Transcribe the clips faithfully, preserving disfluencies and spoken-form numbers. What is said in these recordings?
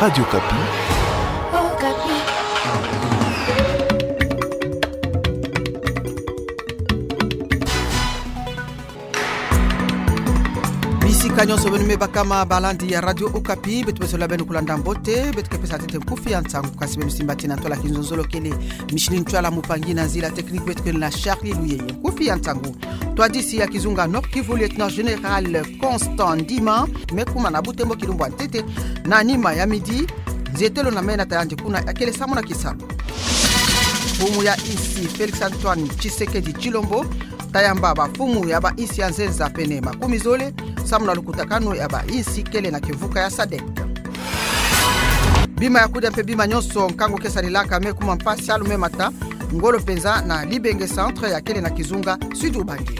Radio Okapi. Bisika nyonso beno me bakama balandi ya Radio Okapi, beto besola beno kulanda mbote, beto ke pesa ntete nkufi ya nsangu, kasi beno simbati na ntwala kizonzolo kele Micheline Ntwala, mupangi na nzila technique beto ke na Charlie Luyeye. Nkufi ya nsangu. Twadisi ya kizunga Nord-Kivu, Lieutenant Général Constant Ndima, me kuma na Butembo kilumbu ya ntete, na nima ya midi, nzietelo na mena ta yandi kuna ya kele sambu na kisalu. Mfumu ya insi Félix Antoine Tshisekedi Tshilombo tayamba bamfumu ya bainsi ya nzenza pene makumi zole, sambu na lukutakanu ya bainsi kele na kimvuka ya sadek. Bima ya kudia mpe bima nyonso nkangu ke salelaka me kuma mpasi, salu me mata ngolo mpenza na Libenge Centre ya kele na kizunga Sud-Ubangi.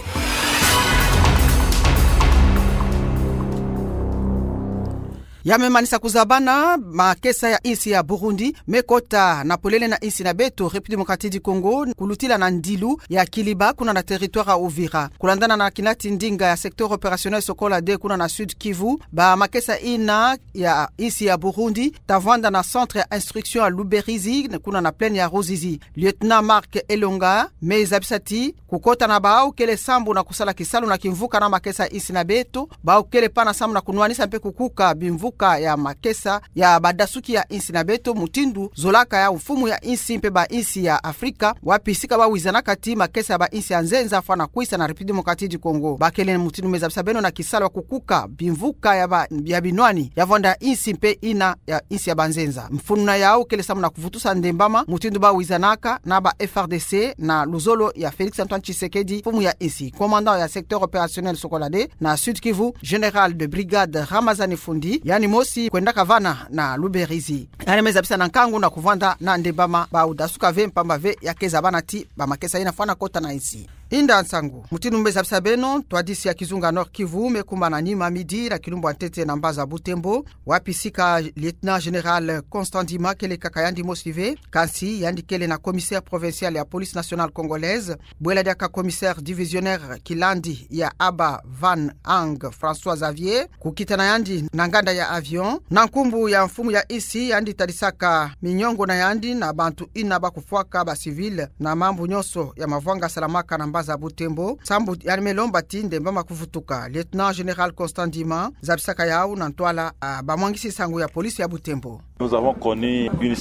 Ya me manisa kuzabana, makesa ya insi ya Burundi me kota na polele na insi na beto République Démocratique du Congo, kulutila na ndilu ya Kiliba, kuna na territoire ya Uvira. Kulandana na kinati ndinga ya secteur opérationnel Sokola deux, kuna na Sud-Kivu, bamakesa ina ya insi ya Burundi ta vwanda na centre ya instruction ya Luberizi, kuna na plaine ya Ruzizi. Lieutenant Marc Elonga me zabisa ti kukota na bau kele sambu na kusala kisalu na kimvuka na makesa ya insi na beto, bau kele pana sambu na kunwanisa mpe kukuka bimvuka ya makesa ya badasuki ya insi na beto, mutindu zolaka ya mfumu ya insi mpe bainsi ya Afrika, wapi sika bau wizanaka ti makesa ya bainsi ya nzenza fwana kwisa na République Démocratique du Congo. Ba kele mutindu me zabisa beno na kisalu ya kukuka bimvuka ya ba, ya binwani ya vwanda insi mpe ina ya insi ya banzenza. Mfunu na yau kele sambu na kuvutusa ndembama, mutindu bau wizanaka na ba F R D C na luzolo ya Félix Antoine Tshisekedi, mfumu ya insi. Commandant ya secteur opérationnel Sokola deux na Sud-Kivu, général de brigade Ramazani Fundi, yandi mosi kwendaka vana na Luberizi. Yandi me zabisa na nkangu na kuvwanda na ndembama bau dasuka ve, mpamba ve ya ke zabana ti bamakesa ina fwana kota na insi. Inda nsangu. Mutindu me zabisa beno, twadisi ya kizunga Nord-Kivu me kuma na nima midi na kilumbu ya ntete na mbaza Butembo, wapi sika Lieutenant Général Constant Ndima kele kaka yandi mosi ve, kansi yandi kele na commissaire provincial ya Police Nationale Congolaise, bwela diaka commissaire divisionnaire kilandi ya Aba Van Ang François Xavier, kukita na yandi na nganda ya avion, na nkumbu ya mfumu ya insi, yandi tadisaka miniongo na yandi na bantu ina ba kufwaka ba civil na mambu nyonso ya mavwanga salamaka na mbaza Butembo, sambu yandi me lomba ti ndembama kuvutuka. Lieutenant Général Constant Ndima zabisaka yau na ntwala ya bamwangisi nsangu ya police ya Butembo.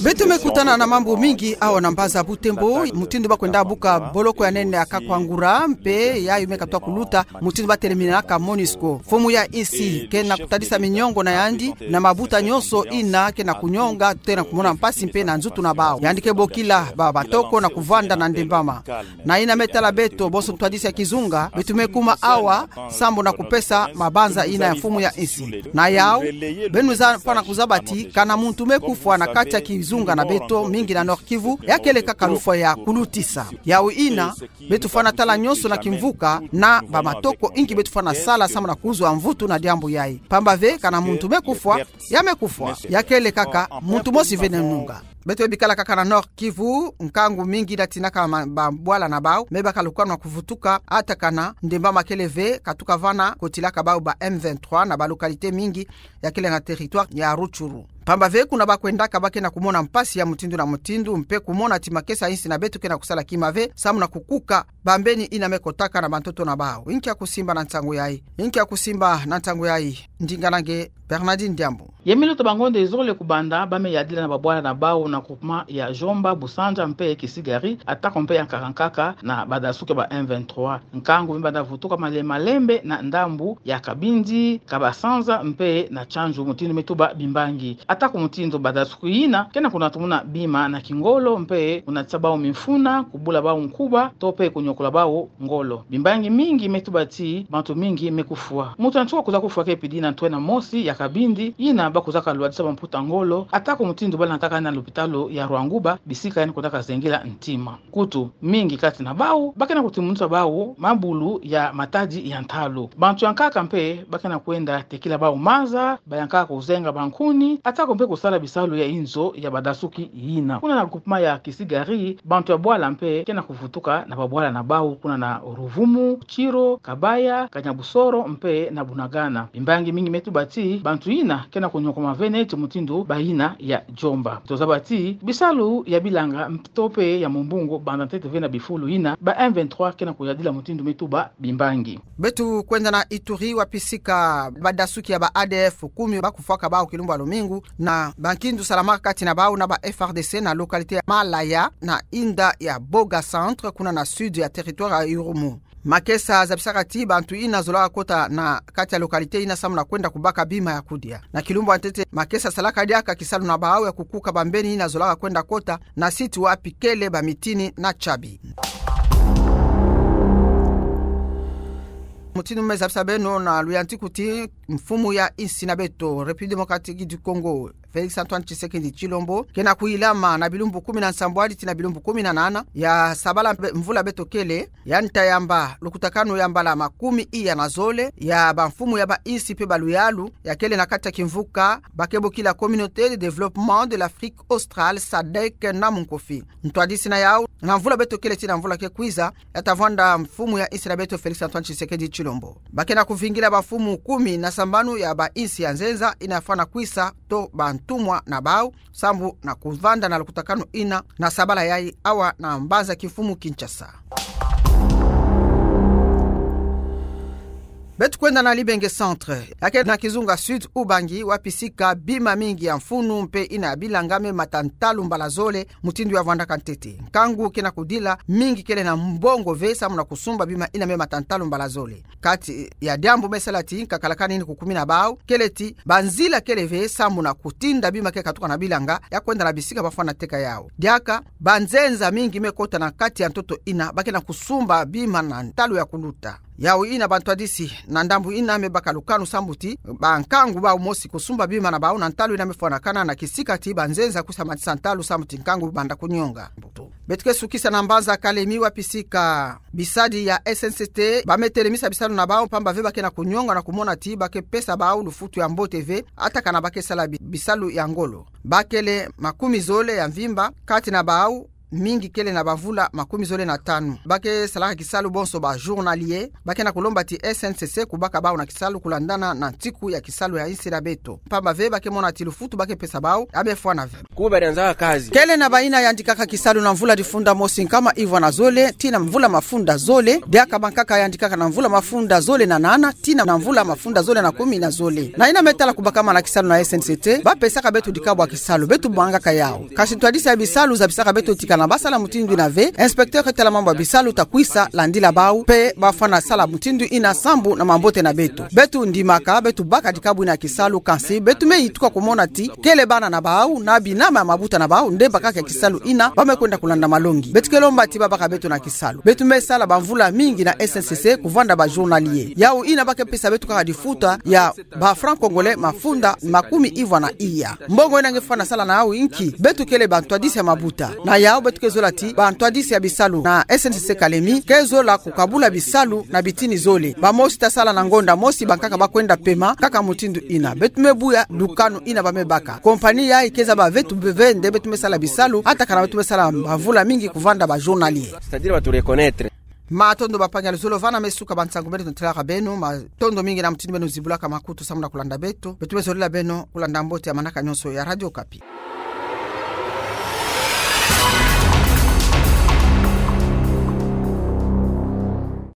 Beto me kutana na mambu mingi awa na mbaza Butembo, mutindu ba kwenda buka boloko ya nene ya Kakwangura, mpe yayi me katuka kuluta, mutindu ba teleminaka MONUSCO. Mfumu ya insi ke na kutadisa miniongo na yandi na mabuta nyonso ina ke na kunionga, tena kumona mpasi mpe na nzutu na bau. Yandi ke bokila ba matoko na kuvwanda na ndembama. Na ina me tala beto, bonso ntwadisi ya kizunga, beto me kuma awa sambu na kupesa mabanza ina ya mfumu ya insi. Na yau, beno za fwana kuzaba ti kana muntu me kufwa na kati ya kizunga na beto mingi na Nord-Kivu, ya kele kaka lufwa ya kulutisa. Yau ina, beto fwana tala nyonso na kimvuka na ba matoko inki beto fwana sala sambu na kuzwa mvutu na diambu yayi. Mpamba ve kana muntu me kufwa, ya me kufwa. Ya kele kaka muntu mosi vene nunga. Beto bikala kaka na Nord-Kivu, nkangu mingi datinaka ma, ba bwala na bau me baka lukwanwa kuvutuka, ata kana ndembama kele ve katuka vana kotilaka bau ba M vingt-trois na ba localité mingi ya kele na territoire ya Rutshuru. Mpamba ve kuna ba kwendaka ba ke na kumona mpasi ya mutindu na mutindu, mpe kumona ti makesa insi na beto ke na kusala kima ve sambu na kukuka bambeni ina me kotaka na bantoto na bau. Inki ya kusimba na nsangu yayi? Inki ya kusimba na nsangu yayi? Ndinga na nge Bernardine Diambu. Ya me luta bangonda zole kubanda, ba me yadila na ba bwala na bau na groupement ya Djomba, Busanza mpe Kisigari, atako mpe ya nkaka nkaka na badasuki ba M vingt-trois. Nkangu me banda vutuka male-, malembe na ndambu ya Kabindi, Kabasanza mpe na Tsandju, mutindu me tuba bimbangi. Atako mutindu badasuki yina ke na kunatumuna bima na kingolo mpe kunatisa bau mifuna, kubula bau nkuba, to mpe kunyokola bau ngolo. Bimbangi mingi me tuba ti bantu mingi me kufwa. Muntu na nsuka kwiza kufwa ke pidi na ntwena mosi ya Kabindi, yina ba kwizaka lwadisa bamputa ngolo, atako mutindu bala nkaka na lupitalu ya Rwanguba, bisika yandi kwendaka zengila ntima. Nkutu mingi kati na bau ba ke na kutimunisa bau mabulu ya matadi ya ntalu. Bantu ya nkaka mpe ba ke na kwenda tekila bau maza, ba ya nkaka kuzenga bankuni, atako Ko mpe kusala bisalu ya inzo ya badasuki yina. Kuna na groupement ya Kisigari, bantu ya bwala mpe ke na kuvutuka na babwala na bau, kuna na Ruvumu, Kiro, Kabaya, Kanyabusoro mpe na Bunagana. Bimbangi mingi me tuba ti bantu yina ke na kunyokoma ve neti mutindu bayina ya Djomba. Tozaba ti bisalu ya bilanga to mpe ya mumbungu banda ntete ve na bifulu yina ba M vingt-trois ke na kuyadila, mutindu me tuba bimbangi. Beto kwenda na Ituri, wapi sika badasuki ya ba A D F kumi ba kufwaka bau kilumbu ya lumingu na bankindu salamaka kati na bau na ba F A R D C na localité ya Malaya na inda ya Boga Centre, kuna na sud ya territoire ya Irumu. Makesa zabisaka ti bantu yina zolaka kota na kati ya localité yina samu na kwenda kubaka bima ya kudia. Na kilumbu ya ntete, makesa salaka diaka kisalu na bau ya kukuka bambeni yina zolaka kwenda kota na site wapi kele bamitini na tiabi. Mutindu me zabisa beno na luyantiku ti mfumu ya insi na beto, République Démocratique du Congo, Félix Antoine Tshisekedi Tshilombo, ke na kuyilama na bilumbu kumi na nsambwadi tii na bilumbu kumi na nana ya sabala mpe mvula beto kele, yandi ta yamba lukutakanu ya mbala makumi iya na zole ya bamfumu ya bainsi mpe baluyalu ya kele na kati ya kimvuka ba ke bokila Communauté de Développement de l'Afrique Australe, sadec, na munkofi. Ntwadisi na yau, na mvula beto kele tii na mvula ke kwiza, ya ta vwanda mfumu ya insi na beto Félix Antoine Tshisekedi Tshilombo. Ba ke na kuvingila bamfumu kumi na sambanu ya bainsi ya nzenza yina fwana kwisa to bantumwa na bau, sambu na kuvanda na lukutakanu yina na sabala yayi awa na mbanza kimfumu Kinshasa. Beto kwenda na Libenge Centre, ya ke na kizunga Sud Ubangi, wapi sika bima mingi ya mfunu mpe yina ya bilanga me mata ntalu mbala zole, mutindu ya vwandaka ntete. Nkangu ke na kudila, mingi kele na mbongo ve samu na kusumba bima yina me mata ntalu mbala zole. Kati ya diambu me sala ti nkakalakani yina kukumina bau, kele ti banzila kele ve samu na kutinda bima ke katuka na bilanga ya kwenda na bisika ba fwana teka yau. Diaka, banzenza mingi me kota na kati ya ntoto yina, ba ke na kusumba bima na ntalu ya kuluta. Yau yina bantwadisi na ndambu yina me baka lukanu sambu ti bankangu bau mosi kusumba bima na bau na ntalu yina me fwanakana na kisika ti banzenza kwisa matisa ntalu sambu ti nkangu banda kunionga. Beto ke sukisa na mbanza Kalemi, wapi sika bisadi ya S N C T ba me telemisa bisalu na bau, pamba ve ba ke na kunionga na kumona ti ba ke pesa bau lufutu ya mbote ve, atakana ba ke sala bi-, bisalu ya ngolo. Ba kele makumi zole ya mvimba, kati na bau mingi kele na bamvula makumi zole na tanu. Ba ke salaka kisalu bonso ba journalier, ba ke na kulomba ti S N C C kubaka bau na kisalu kulandana na ntiku ya kisalu ya insi na beto. Pamba ve ba ke mona ti lufutu ba ke pesa bau ya me fwana ve. Kuba dianza kazi. Kele na bayina yandikaka kisalu na mvula difunda mosi nkama ivwa na zole tii na mvula mafunda zole, diaka bankaka yandikaka na mvula mafunda zole na nana tii na mvula mafunda zole na kumi na zole. Na yina me tala kubakama na kisalu na S N C T, ba pesaka beto dikabwa kisalu, beto bangaka yau. Kasi ntwadisi ya bisalu zabisaka beto ti kana ba sala mutindu yina ve, inspecteur tala mambu ya bisalu ta kwisa landila bau, mpe ba fwana sala mutindu yina sambu na mambote na beto. Beto ndimaka, beto baka dikabwi na kisalu, kansi beto me yituka kumona ti kele bana na bau, na binama ya mabuta na bau, nde bakaka kisalu yina, ba me kwenda kulanda malongi. Beto ke lomba ti ba baka beto na kisalu. Beto me sala bamvula mingi na S N C C, kuvanda ba journalier. Yau yina ba ke pesa beto kaka difuta ya ba francs congolais mafunda makumi ivwa na iya. Mbongo yina nge fwana sala na yau nki? Beto kele bantwadisi ya mabuta. Na yau beto ke zola ti bantwadisi ya bisalu na S N C C Kalemi ke zola kukabula bisalu na bitini zole. Bamosi ta sala na ngonda mosi, bankaka ba kwenda pema, kaka mutindu yina. Beto me buya lukanu yina ba me baka. Compagnie yayi ke zaba ve ti bevende beto me sala bisalu, atakana beto me sala bamvula mingi kuvanda ba journalier. C'est-à-dire ba tu reconnaître. Matondo bampangi ya luzolo, vana me suka ba nsangu beto na tilaka beno, matondo mingi na mutindu beno zibulaka makutu samu na kulanda beto. Beto me zolila beno kulanda mbote ya manaka nyonso ya Radio Okapi.